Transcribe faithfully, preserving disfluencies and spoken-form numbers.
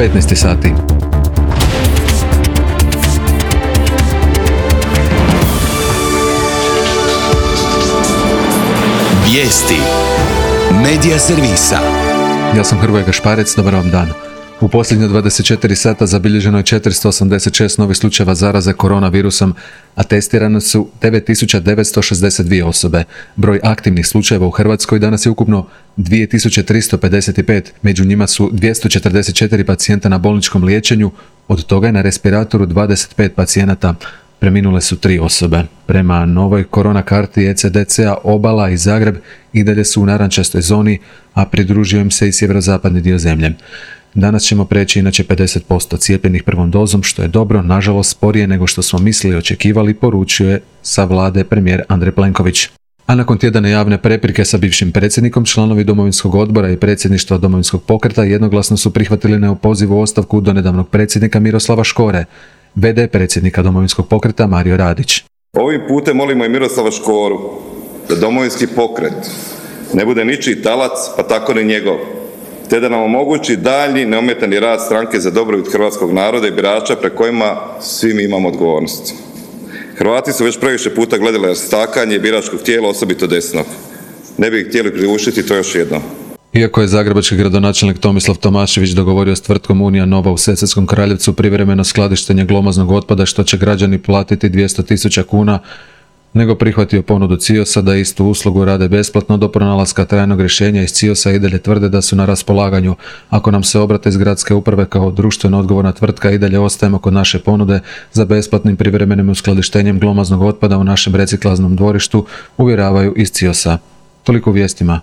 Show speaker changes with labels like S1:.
S1: petnaest sati.
S2: Vijesti Medija servisa.
S1: Ja sam Hrvoje Gašparec, dobar vam dan. U posljednje dvadeset četiri sata zabilježeno je četiristo osamdeset šest novih slučajeva zaraze koronavirusom, a testirane su devet tisuća devetsto šezdeset dvije osobe. Broj aktivnih slučajeva u Hrvatskoj danas je ukupno dvije tisuće tristo pedeset pet, među njima su dvjesto četrdeset četiri pacijenta na bolničkom liječenju, od toga je na respiratoru dvadeset pet pacijenata. Preminule su tri osobe. Prema novoj korona karti E C D C-a Obala i Zagreb i dalje su u narančastoj zoni, a pridružio im se i sjeverozapadni dio zemlje. Danas ćemo preći inače pedeset posto cijepljenih prvom dozom, što je dobro, nažalost sporije nego što smo mislili i očekivali, poručio je sa vlade premijer Andrej Plenković. A nakon tjedana javne prepirke sa bivšim predsjednikom, članovi Domovinskog odbora i predsjedništva Domovinskog pokreta jednoglasno su prihvatili neopozivu ostavku donedavnog predsjednika Miroslava Škore. V D predsjednika Domovinskog pokreta Mario Radić.
S3: Ovim putem molimo i Miroslava Škoru da Domovinski pokret ne bude ničiji talac, pa tako ni njegov, te da nam omogući daljnji neometani rad stranke za dobrobit hrvatskog naroda i birača pre kojima svi mi imamo odgovornosti. Hrvati su već previše puta gledali rastakanje biračkog tijela, osobito desnog. Ne bi htjeli priuštiti to još jednom.
S1: Iako je zagrebački gradonačelnik Tomislav Tomašević dogovorio s tvrtkom Unija Nova u Sesvetskom Kraljevcu privremeno skladištenje glomaznog otpada što će građani platiti dvjesto tisuća kuna, nego prihvatio ponudu C I O S-a da istu uslugu rade besplatno do pronalaska trajnog rješenja. Iz C I O S-a i dalje tvrde da su na raspolaganju. Ako nam se obrate iz gradske uprave kao društveno odgovorna tvrtka, i dalje ostajemo kod naše ponude za besplatnim privremenim uskladištenjem glomaznog otpada u našem reciklažnom dvorištu, uvjeravaju iz C I O S-a. Toliko u vijestima.